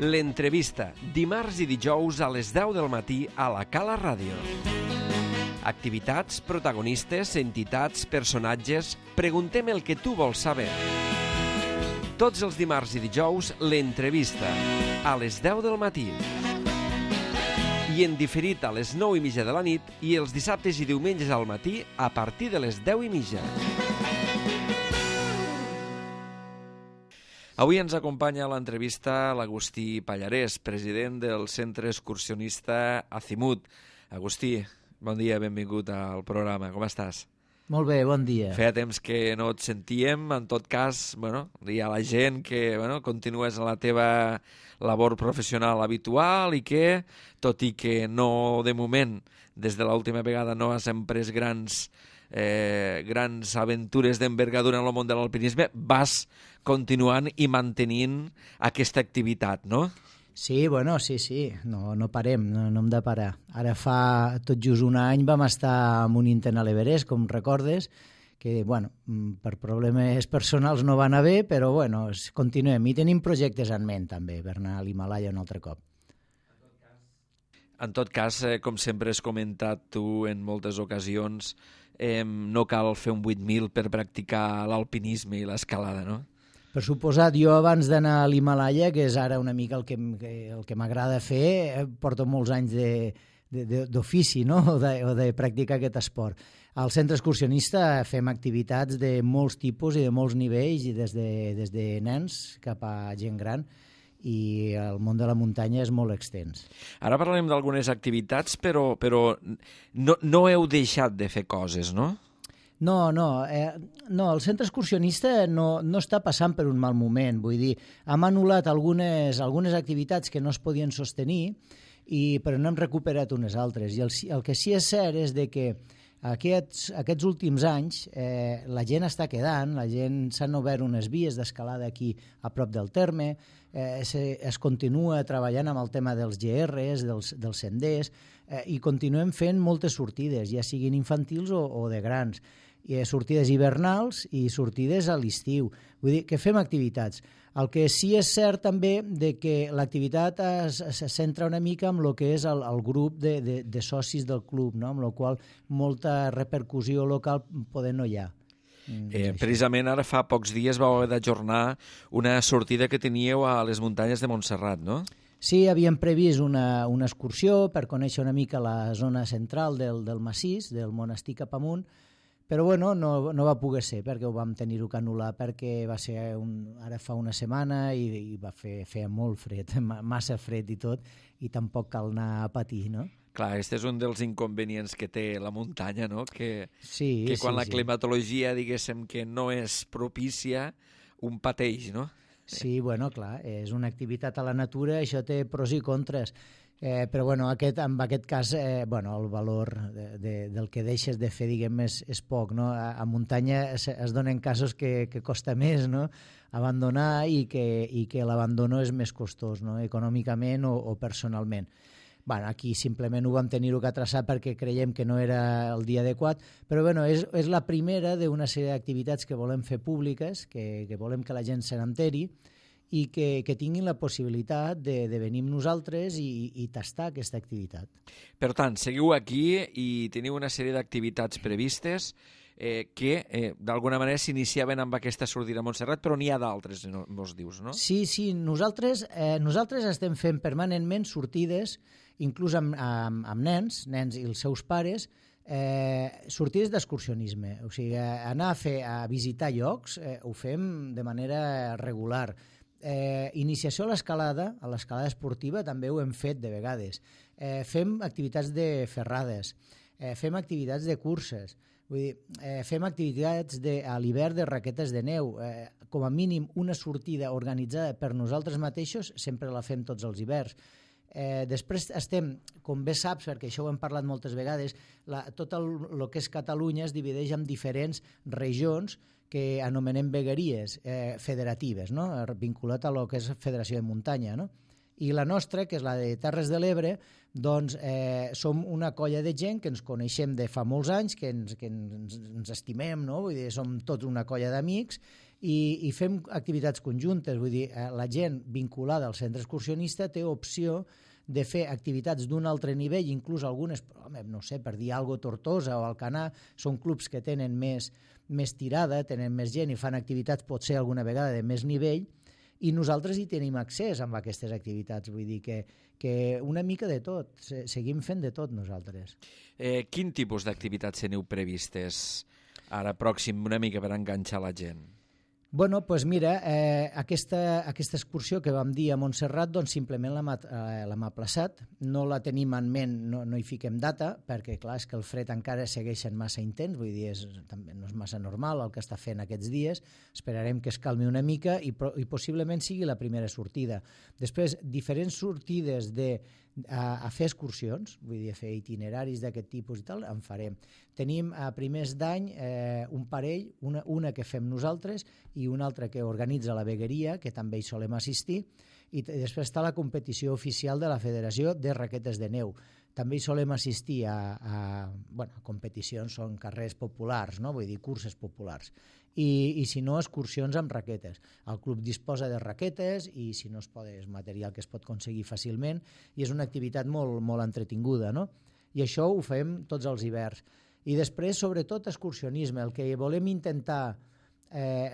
L'entrevista, dimarts i dijous a les 10 del matí a la Cala Ràdio. Activitats, protagonistes, entitats, personatges... Preguntem el que tu vols saber. Tots els dimarts i dijous, l'entrevista, a les 10 del matí. I en diferit a les 9:30 de la nit i els dissabtes i diumenges al matí a partir de les 10:30. Avui ens acompanya a l'entrevista l'Agustí Pallarès, president del Centre Excursionista Azimut. Agustí, bon dia, benvingut al programa. Com estàs? Molt bé, bon dia. Feia temps que no et sentíem. En tot cas, dir a la gent que continues la teva labor professional habitual i que, tot i que no, de moment, des de l'última vegada no has emprès grans aventures d'envergadura en el món de l'alpinisme, vas continuant i mantenint aquesta activitat, no? Sí, sí. No parem, no hem de parar. Ara fa tot just un any vam estar en un intent a l'Everest, com recordes, que, per problemes personals no va anar bé, però, continuem. I tenim projectes en ment, també, per anar a l'Himalaya un altre cop. En tot cas, com sempre has comentat tu en moltes ocasions, no cal fer un 8.000 per practicar l'alpinisme i l'escalada, no? Per suposat, jo abans d'anar a l'Himalaya, que és ara una mica el que m'agrada fer, porto molts anys d'ofici, no? o de practicar aquest esport. Al centre excursionista fem activitats de molts tipus i de molts nivells, i des de nens cap a gent gran, i el món de la muntanya és molt extens. Ara parlarem d'algunes activitats, però no heu deixat de fer coses, no? No, el centre excursionista no està passant per un mal moment. Vull dir, hem anul·lat algunes activitats que no es podien sostenir, però n'hem recuperat unes altres. I el que sí és cert és que aquests últims anys la gent està quedant, s'han obert unes vies d'escalada aquí a prop del terme, es continua treballant amb el tema dels GRs, dels senders, i continuem fent moltes sortides, ja siguin infantils o de grans. Sortides hivernals i sortides a l'estiu. Vull dir que fem activitats. El que sí és cert també de que l'activitat es centra una mica en el que és el grup de socis del club, no? Amb la qual molta repercussió local poder no hi ha. Precisament ara fa pocs dies vau haver d'ajornar una sortida que teníeu a les muntanyes de Montserrat, no? Sí, havíem previst una excursió per conèixer una mica la zona central del massís, del monestir cap amunt, però no va poder ser perquè ho vam tenir-ho que anul·lar, perquè va ser ara fa una setmana i feia molt fred, massa fred i tot, i tampoc cal anar a patir, no? Clar, aquest és un dels inconvenients que té la muntanya, no? Que quan la climatologia, diguéssim, que no és propícia, un pateix, no? Sí, clar, és una activitat a la natura, això té pros i contres. Però en aquest cas el valor del que deixes de fer, diguem, és poc, no? A muntanya es donen casos que costa més, no? Abandonar i que l'abandono és més costós, no? Econòmicament o personalment. Aquí simplement ho vam tenir-ho que traçar perquè creiem que no era el dia adequat, però és la primera d'una sèrie d'activitats que volem fer públiques, que volem que la gent se n'enteri, i que tinguin la possibilitat de venir amb nosaltres i tastar aquesta activitat. Per tant, seguiu aquí i teniu una sèrie d'activitats previstes que d'alguna manera s'iniciaven amb aquesta sortida a Montserrat, però n'hi ha d'altres, vos dius, no? Sí, nosaltres estem fent permanentment sortides, inclús amb nens i els seus pares, sortides d'excursionisme. O sigui, anar a visitar llocs ho fem de manera regular. Iniciació a l'escalada esportiva també ho hem fet de vegades. Fem activitats de ferrades, fem activitats de curses, fem activitats a l'hivern de raquetes de neu. Com a mínim una sortida organitzada per nosaltres mateixos sempre la fem tots els hiverns. Després estem, com bé saps, perquè això ho hem parlat moltes vegades, tot el que és Catalunya es divideix en diferents regions que anomenem vegueries federatives, no? Vinculat a lo que és Federació de Muntanya, no? I la nostra, que és la de Terres de l'Ebre, doncs som una colla de gent que ens coneixem de fa molts anys, que ens estimem, no? Vull dir, som tots una colla d'amics i fem activitats conjuntes, vull dir, la gent vinculada al centre excursionista té opció de fer activitats d'un altre nivell, inclús algunes, no sé, per dir alguna cosa, Tortosa o Alcanar, són clubs que tenen més tirada, tenen més gent i fan activitats potser alguna vegada de més nivell, i nosaltres hi tenim accés amb aquestes activitats, vull dir que una mica de tot, seguim fent de tot nosaltres. Quin tipus d'activitats teniu previstes ara pròxim, una mica per enganxar la gent? Bueno, doncs mira, aquesta excursió que vam dir a Montserrat, doncs simplement l'hem aplaçat, no la tenim en ment, no hi fiquem data, perquè clar, és que el fred encara segueix sent massa intens, vull dir, també no és massa normal el que està fent aquests dies, esperarem que es calmi una mica i possiblement sigui la primera sortida. Després, diferents sortides a fer excursions, vull dir, a fer itineraris d'aquest tipus i tal, en farem. Tenim a primers d'any un parell, una que fem nosaltres i una altra que organitza la vegueria, que també hi solem assistir, i després està la competició oficial de la Federació de Raquetes de Neu. També hi solem assistir a competicions, són carrers populars, no? Vull dir, curses populars. I si no, excursions amb raquetes. El club disposa de raquetes i si no es pot, és material que es pot aconseguir fàcilment i és una activitat molt, molt entretinguda, no? I això ho fem tots els hiverns. I després, sobretot, excursionisme. El que volem intentar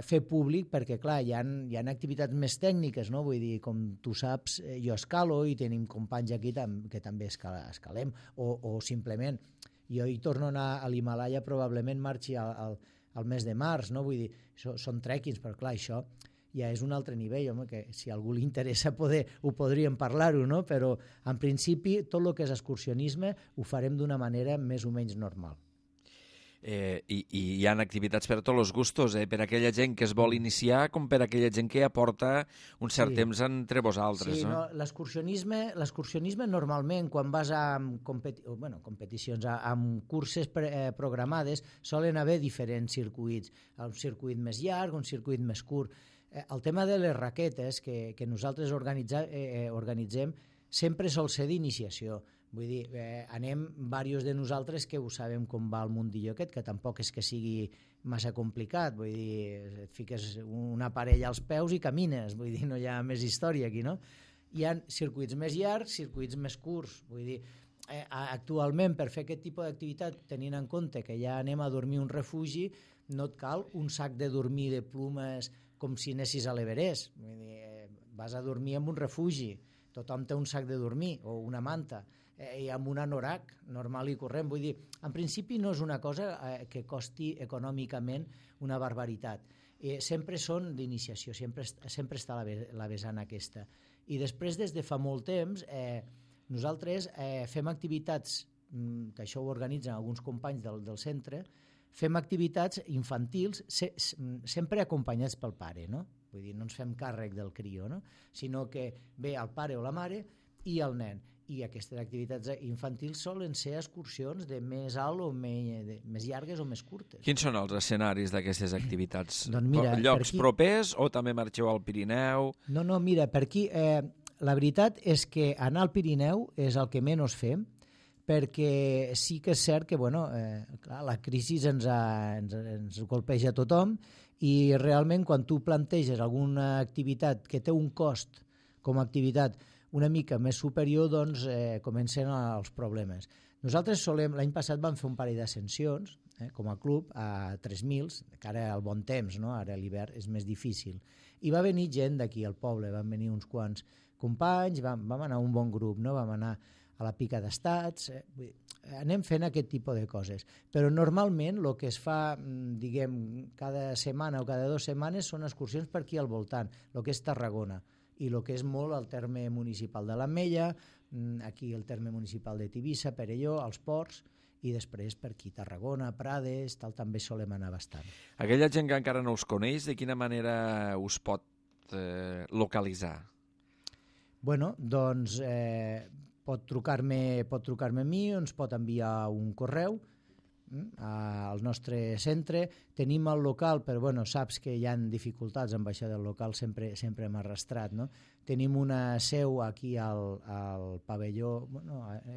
fer públic, perquè clar, hi ha activitats més tècniques, no? Vull dir, com tu saps, jo escalo i tenim companys aquí que també escalem, o simplement jo hi torno a anar a l'Himalaya, probablement marxi al mes de març, no? Vull dir, són trekkings, però clar, això ja és un altre nivell, home, que si a algú li interessa ho podríem parlar-ho, no? Però en principi tot el que és excursionisme ho farem d'una manera més o menys normal. I hi ha activitats per a tots els gustos, per aquella gent que es vol iniciar com per aquella gent que ja porta un cert temps entre vosaltres. Sí, no? L'excursionisme normalment quan vas a competicions, amb curses programades, solen haver diferents circuits, un circuit més llarg, un circuit més curt. El tema de les raquetes que nosaltres organitzem sempre sol ser d'iniciació. Vull dir, anem diversos de nosaltres que ho sabem com va el mundillo aquest, que tampoc és que sigui massa complicat, vull dir, et fiques una parella als peus i camines, vull dir, no hi ha més història aquí, no? Hi ha circuits més llargs, circuits més curts, vull dir, actualment per fer aquest tipus d'activitat, tenint en compte que ja anem a dormir a un refugi, no et cal un sac de dormir de plumes com si anessis a l'Everest, vull dir, vas a dormir en un refugi, tothom té un sac de dormir o una manta, i amb un anorac normal i corrent. Vull dir, en principi no és una cosa que costi econòmicament una barbaritat. Sempre són d'iniciació, sempre està la vessant aquesta. I després, des de fa molt temps, nosaltres fem activitats, que això ho organitzen alguns companys del centre, fem activitats infantils sempre acompanyats pel pare, no? Vull dir, no ens fem càrrec del crió, no? Sinó que ve el pare o la mare i el nen. I aquestes activitats infantils solen ser excursions de més alt o més llargues o més curtes. Quins són els escenaris d'aquestes activitats? Doncs mira, llocs propers o també marxeu al Pirineu? No, mira, per aquí la veritat és que anar al Pirineu és el que menys fem, perquè sí que és cert que clar, la crisi ens golpeja a tothom i realment quan tu planteges alguna activitat que té un cost com a activitat una mica més superior, doncs comencen els problemes. Nosaltres l'any passat vam fer un parell d'ascensions, com a club, a 3.000, que ara al bon temps, no? Ara a l'hivern és més difícil. I va venir gent d'aquí al poble, van venir uns quants companys, vam anar un bon grup, no? Vam anar a la Pica d'Estats, anem fent aquest tipus de coses. Però normalment el que es fa, diguem, cada setmana o cada 2 setmanes són excursions per aquí al voltant, el que és Tarragona, i el que és molt el terme municipal de l'Ametlla, aquí el terme municipal de Tivissa, Perelló, els ports, i després per aquí Tarragona, Prades, també solem anar bastant. Aquella gent que encara no us coneix, de quina manera us pot localitzar? Bueno, doncs pot trucar-me a mi o ens pot enviar un correu al nostre centre. Tenim el local, però saps que hi ha dificultats amb això del local, sempre hem arrastrat, no? Tenim una seu aquí al pavelló,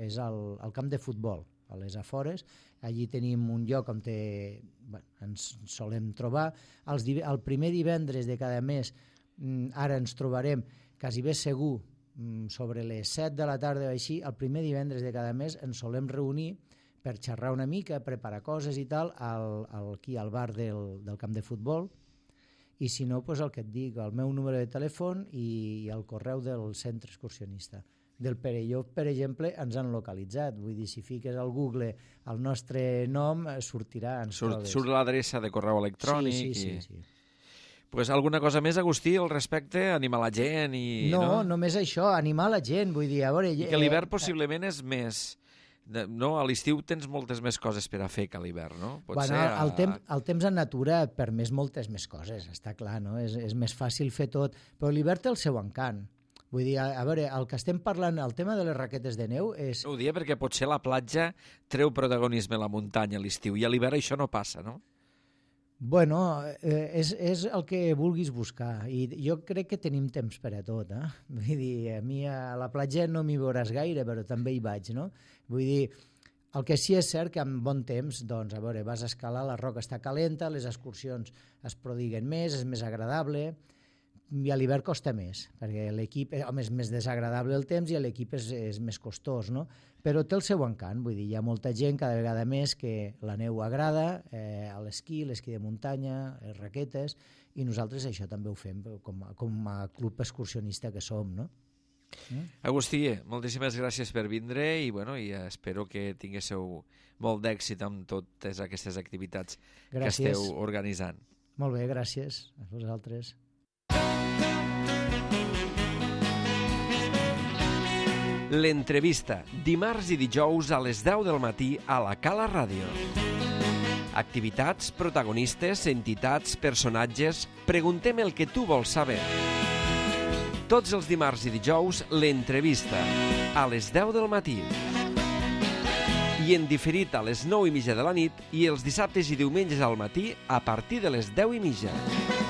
és al camp de futbol, a les afores. Allí tenim un lloc on ens solem trobar. El primer divendres de cada mes, ara ens trobarem quasi bé segur, sobre les 7 de la tarda o així, el primer divendres de cada mes ens solem reunir per xerrar una mica, preparar coses i tal, aquí al bar del camp de futbol. I si no, el que et dic, el meu número de telèfon i el correu del centre excursionista. Del Perelló, per exemple, ens han localitzat. Vull dir, si fiques al Google el nostre nom, sortirà. Surt l'adreça de correu electrònic. Sí. Pues alguna cosa més, Agustí, al respecte? Animar la gent? No, només això, animar la gent. Vull dir, a veure... I que l'hivern possiblement és més... No, a l'estiu tens moltes més coses per a fer que a l'hivern, no? El temps en natura permès moltes més coses, està clar, no? És més fàcil fer tot, però l'hivern té el seu encant. Vull dir, a veure, el que estem parlant, el tema de les raquetes de neu és... Ho dia perquè potser la platja treu protagonisme a la muntanya a l'estiu i a l'hivern això no passa, no? Bueno, és el que vulguis buscar i jo crec que tenim temps per a tot. Vull dir, a mi a la platja no m'hi veuràs gaire, però també hi vaig, no? Vull dir, el que sí és cert que amb bon temps, doncs, a veure, vas a escalar, la roca està calenta, les excursions es prodiguen més, és més agradable, i a l'hivern costa més, perquè l'equip, home, és més desagradable el temps i l'equip és més costós, no? Però té el seu encant, vull dir, hi ha molta gent cada vegada més que la neu agrada, l'esquí de muntanya, les raquetes, i nosaltres això també ho fem com a club excursionista que som, no? Agustí, moltíssimes gràcies per vindre i espero que tinguéssiu molt d'èxit amb totes aquestes activitats que esteu organitzant. Molt bé, gràcies a vosaltres. L'entrevista, dimarts i dijous a les 10 del matí a la Cala Ràdio. Activitats, protagonistes, entitats, personatges... Preguntem el que tu vols saber. Tots els dimarts i dijous, l'entrevista, a les 10 del matí. I en diferit a les 9:30 de la nit i els dissabtes i diumenges al matí a partir de les 10:30.